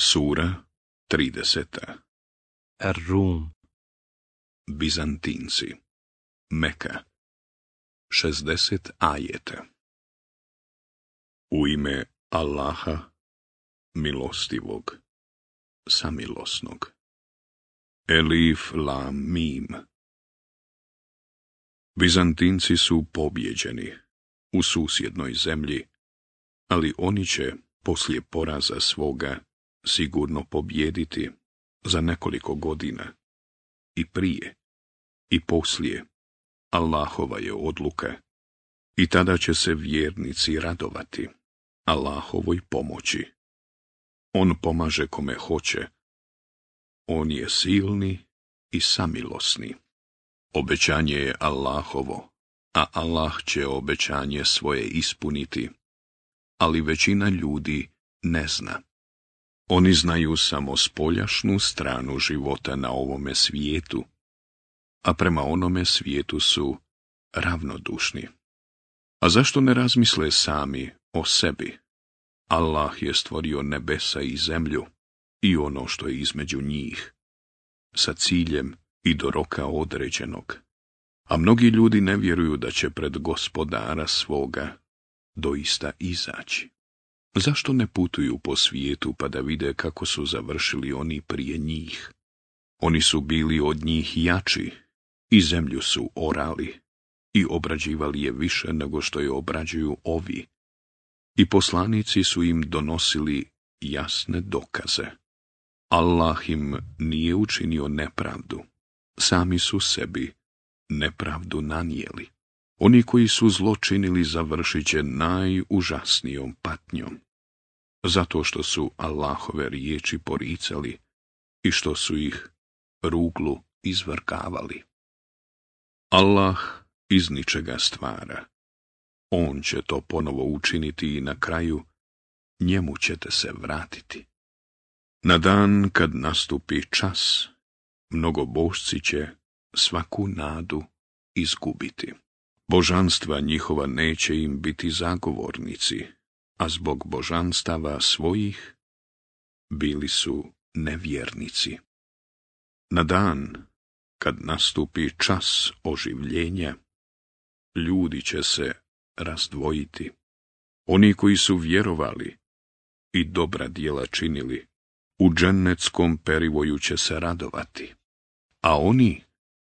Sura 30. Ar-Rum. Bizantinci. Meka. 60 ajeta. U ime Allaha, milostivog, samilosnog. Elif, lam, mim. Bizantinci su pobjeđeni u susjednoj zemlji, ali oni će poslije poraza svoga sigurno pobjediti za nekoliko godina, i prije i poslije. Allahova je odluka, i tada će se vjernici radovati Allahovoj pomoći. On pomaže kome hoće. On je silni i samilosni. Obećanje je Allahovo, a Allah će obećanje svoje ispuniti, ali većina ljudi ne zna. Oni znaju samo spoljašnu stranu života na ovome svijetu, a prema onome svijetu su ravnodušni. A zašto ne razmisle sami o sebi? Allah je stvorio nebesa i zemlju i ono što je između njih, sa ciljem i do roka određenog. A mnogi ljudi ne vjeruju da će pred Gospodara svoga doista izaći. Zašto ne putuju po svijetu pa da vide kako su završili oni prije njih? Oni su bili od njih jači i zemlju su orali i obrađivali je više nego što je obrađuju ovi. I poslanici su im donosili jasne dokaze. Allah im nije učinio nepravdu, sami su sebi nepravdu nanijeli. Oni koji su zlo činili završit će najužasnijom patnjom, zato što su Allahove riječi poricali i što su ih ruglu izvrgavali. Allah iz ničega stvara. On će to ponovo učiniti i na kraju njemu ćete se vratiti. Na dan kad nastupi čas, mnogobožci će svaku nadu izgubiti. Božanstva njihova neće im biti zagovornici, a zbog božanstava svojih bili su nevjernici. Na dan kad nastupi čas oživljenja, ljudi će se razdvojiti. Oni koji su vjerovali i dobra djela činili, u džennetskom perivoju će se radovati, a oni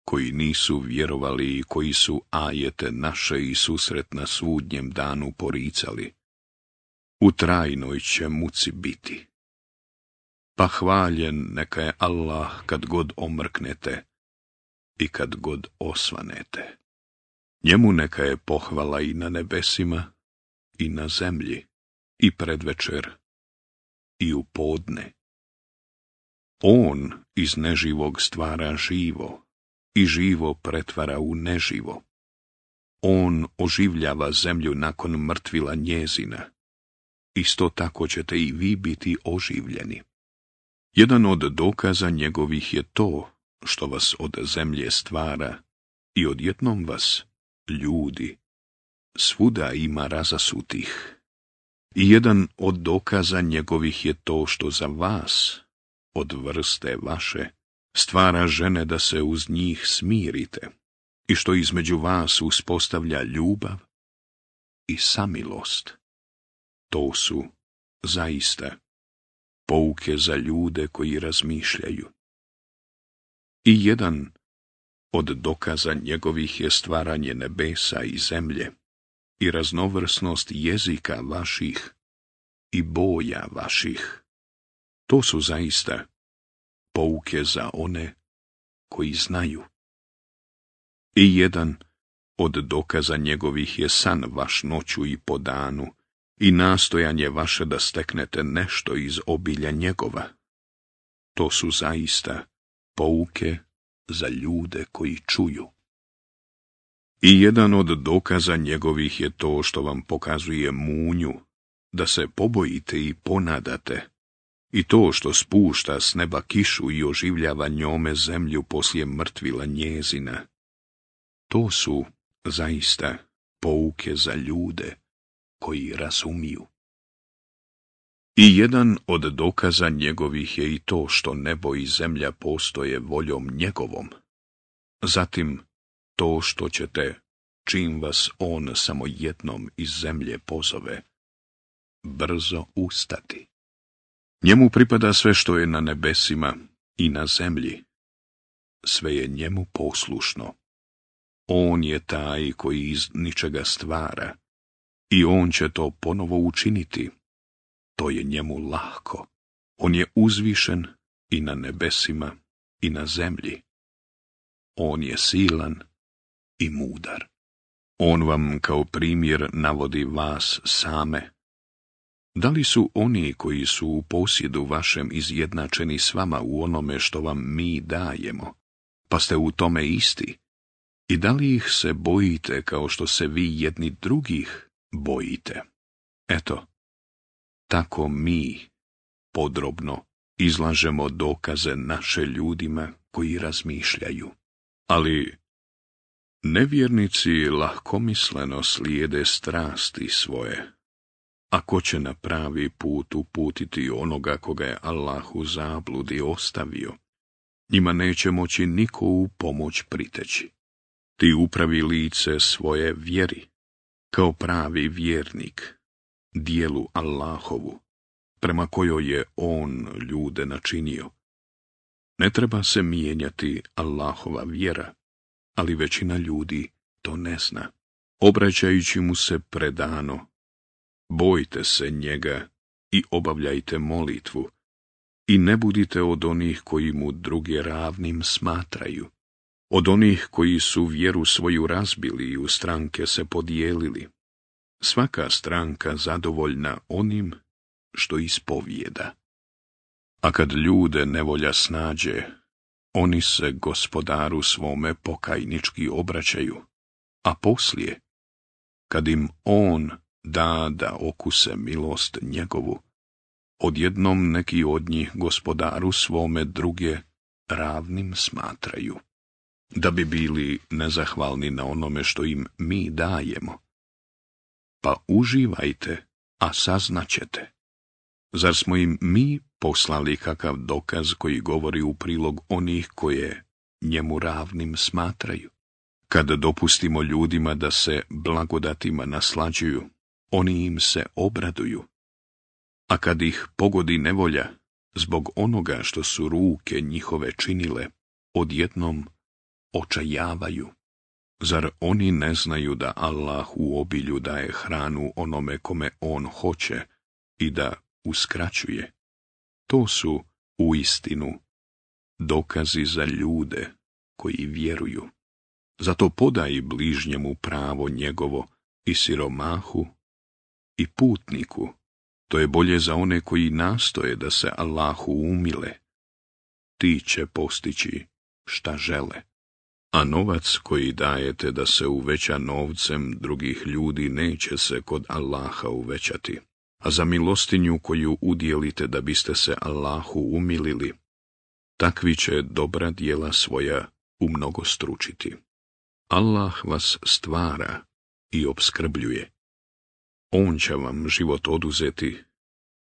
koji nisu vjerovali i koji su ajete naše i susret na sudnjem danu poricali, u trajnoj će muci biti. Pa hvaljen neka je Allah kad god omrknete i kad god osvanete. Njemu neka je pohvala i na nebesima i na zemlji, i predvečer i u podne. On iz neživog stvara živo i živo pretvara u neživo. On oživljava zemlju nakon mrtvila njezina. Isto tako ćete i vi biti oživljeni. Jedan od dokaza njegovih je to što vas od zemlje stvara i odjednom vas, ljudi, svuda ima razasutih. I jedan od dokaza njegovih je to što za vas, od vrste vaše, stvara žene da se uz njih smirite i što između vas uspostavlja ljubav i samilost. To su, zaista, pouke za ljude koji razmišljaju. I jedan od dokaza njegovih je stvaranje nebesa i zemlje i raznovrsnost jezika vaših i boja vaših. To su zaista pouke za one koji znaju. I jedan od dokaza njegovih je san vaš noću i po danu i nastojanje vaše da steknete nešto iz obilja njegova. To su zaista pouke za ljude koji čuju. I jedan od dokaza njegovih je to što vam pokazuje munju, da se pobojite i ponadate, i to što spušta s neba kišu i oživljava njome zemlju poslije mrtvila njezina. To su zaista pouke za ljude koji razumiju. I jedan od dokaza njegovih je i to što nebo i zemlja postoje voljom njegovom. Zatim to što ćete, čim vas on samo jednom iz zemlje pozove, brzo ustati. Njemu pripada sve što je na nebesima i na zemlji. Sve je njemu poslušno. On je taj koji iz ničega stvara i on će to ponovo učiniti. To je njemu lahko. On je uzvišen i na nebesima i na zemlji. On je silan i mudar. On vam kao primjer navodi vas same. Da li su oni koji su u posjedu vašem izjednačeni s vama u onome što vam mi dajemo, pa ste u tome isti? I da li ih se bojite kao što se vi jedni drugih bojite? Eto, tako mi podrobno izlažemo dokaze naše ljudima koji razmišljaju. Ali nevjernici lahkomisleno slijede strasti svoje. A ko će na pravi put uputiti onoga koga je Allah u zabludi ostavio, njima neće moći niko u pomoć priteći. Ti upravi lice svoje vjeri, kao pravi vjernik, dijelu Allahovu, prema kojoj je on ljude načinio. Ne treba se mijenjati Allahova vjera, ali većina ljudi to ne zna. Obraćajući mu se predano, bojte se njega i obavljajte molitvu i ne budite od onih koji mu druge ravnim smatraju, od onih koji su vjeru svoju razbili i u stranke se podijelili. Svaka stranka zadovoljna onim što ispovijeda. A kad ljude nevolja snađe, oni se gospodaru svome pokajnički obraćaju, a poslije, kad im on da okuse milost njegovu, odjednom neki od njih gospodaru svome druge ravnim smatraju, da bi bili nezahvalni na onome što im mi dajemo. Pa uživajte, a saznaćete. Zar smo im mi poslali kakav dokaz koji govori u prilog onih koje njemu ravnim smatraju? Kada dopustimo ljudima da se blagodatima naslađuju, oni im se obraduju. A kad ih pogodi nevolja, zbog onoga što su ruke njihove činile, odjednom očajavaju. Zar oni ne znaju da Allah u obilju daje hranu onome kome on hoće i da uskraćuje? To su uistinu dokazi za ljude koji vjeruju. Zato podaj bližnjemu pravo njegovo i siromahu i putniku. To je bolje za one koji nastoje da se Allahu umile. Ti će postići šta žele. A novac koji dajete da se uveća novcem drugih ljudi neće se kod Allaha uvećati. A za milostinju koju udjelite da biste se Allahu umilili, takvi će dobra djela svoja umnogostručiti. Allah vas stvara i opskrbljuje. On će vam život oduzeti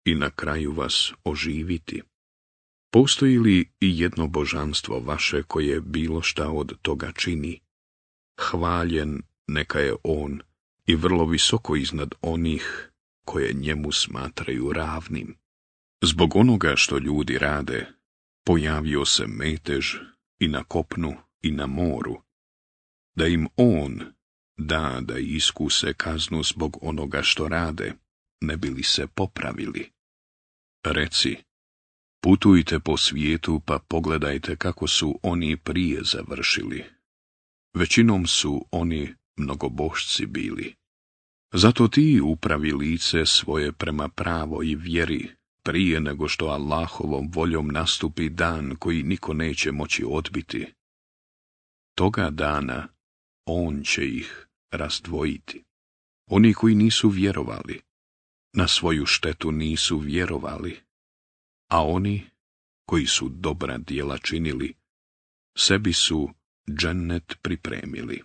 i na kraju vas oživiti. Postoji li i jedno božanstvo vaše koje bilo šta od toga čini? Hvaljen neka je on i vrlo visoko iznad onih koje njemu smatraju ravnim. Zbog onoga što ljudi rade, pojavio se metež i na kopnu i na moru, da im on da iskuse kaznu zbog onoga što rade, ne bi li se popravili. Reci, putujte po svijetu pa pogledajte kako su oni prije završili. Većinom su oni mnogobošci bili. Zato ti upravi lice svoje prema pravoj vjeri, prije nego što Allahovom voljom nastupi dan koji niko neće moći odbiti. Toga dana on će ih razdvojiti. Oni koji nisu vjerovali, na svoju štetu nisu vjerovali, a oni koji su dobra djela činili, sebi su džennet pripremili.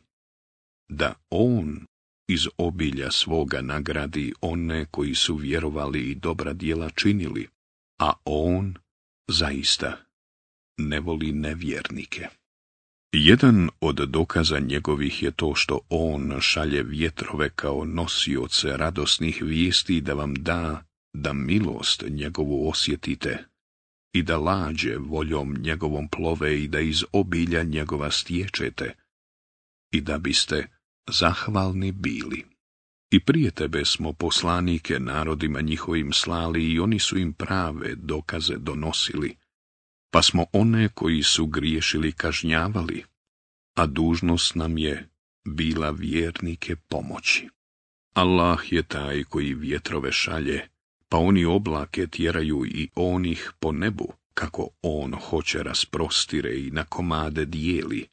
Da on iz obilja svoga nagradi one koji su vjerovali i dobra djela činili, a on zaista ne voli nevjernike. Jedan od dokaza njegovih je to što on šalje vjetrove kao nosioce radosnih vijesti da vam da milost njegovu osjetite i da lađe voljom njegovom plove i da iz obilja njegova stječete i da biste zahvalni bili. I prije tebe smo poslanike narodima njihovim slali i oni su im prave dokaze donosili, pa smo one koji su griješili kažnjavali, a dužnost nam je bila vjernike pomoći. Allah je taj koji vjetrove šalje, pa oni oblake tjeraju i onih po nebu, kako on hoće rasprostire i na komade dijeli,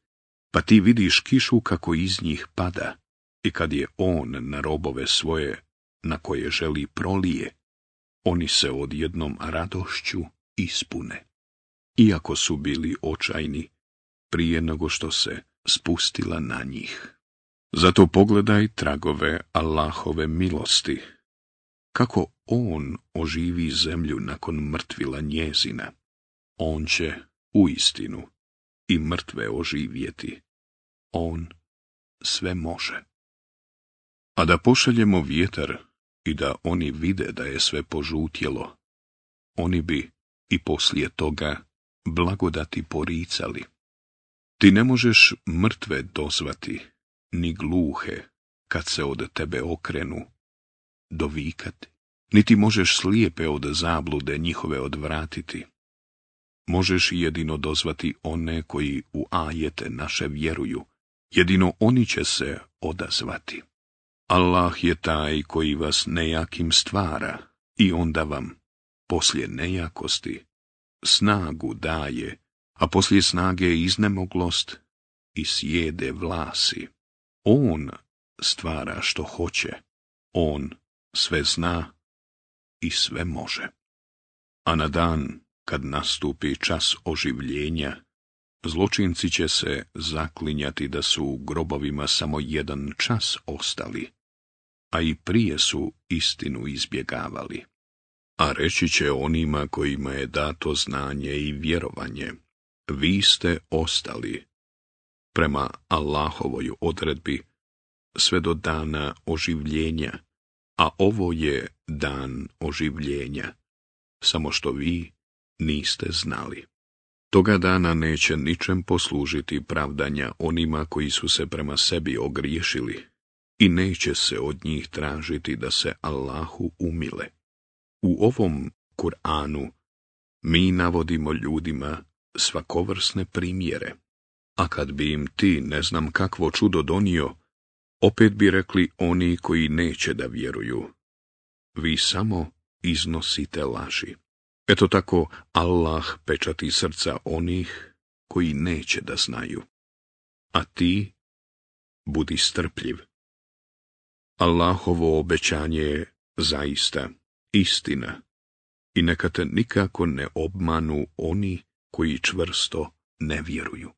pa ti vidiš kišu kako iz njih pada, i kad je on na robove svoje, na koje želi prolije, oni se odjednom radošću ispune, iako su bili očajni prije nego što se spustila na njih. Zato pogledaj tragove Allahove milosti, kako on oživi zemlju nakon mrtvila njezina. On će uistinu i mrtve oživjeti. On sve može. A da pošaljemo vjetar i da oni vide da je sve požutjelo, oni bi i poslije toga blagodati poricali. Ti ne možeš mrtve dozvati, ni gluhe, kad se od tebe okrenu, dovikati, niti možeš slijepe od zablude njihove odvratiti. Možeš jedino dozvati one koji u ajete naše vjeruju, jedino oni će se odazvati. Allah je taj koji vas nejakim stvara i onda vam, poslije nejakosti, snagu daje, a poslije snage iznemoglost i sjede vlasi. On stvara što hoće, on sve zna i sve može. A na dan, kad nastupi čas oživljenja, zločinci će se zaklinjati da su u grobovima samo jedan čas ostali, a i prije su istinu izbjegavali. A reći će onima kojima je dato znanje i vjerovanje, vi ste ostali, prema Allahovoj odredbi, sve do dana oživljenja, a ovo je dan oživljenja, samo što vi niste znali. Toga dana neće ničem poslužiti pravdanja onima koji su se prema sebi ogriješili i neće se od njih tražiti da se Allahu umile. U ovom Kur'anu mi navodimo ljudima svakovrsne primjere, a kad bi im ti ne znam kakvo čudo donio, opet bi rekli oni koji neće da vjeruju, vi samo iznosite laži. Eto tako Allah pečati srca onih koji neće da znaju. A ti budi strpljiv. Allahovo obećanje je zaista istina i neka te nikako ne obmanu oni koji čvrsto ne vjeruju.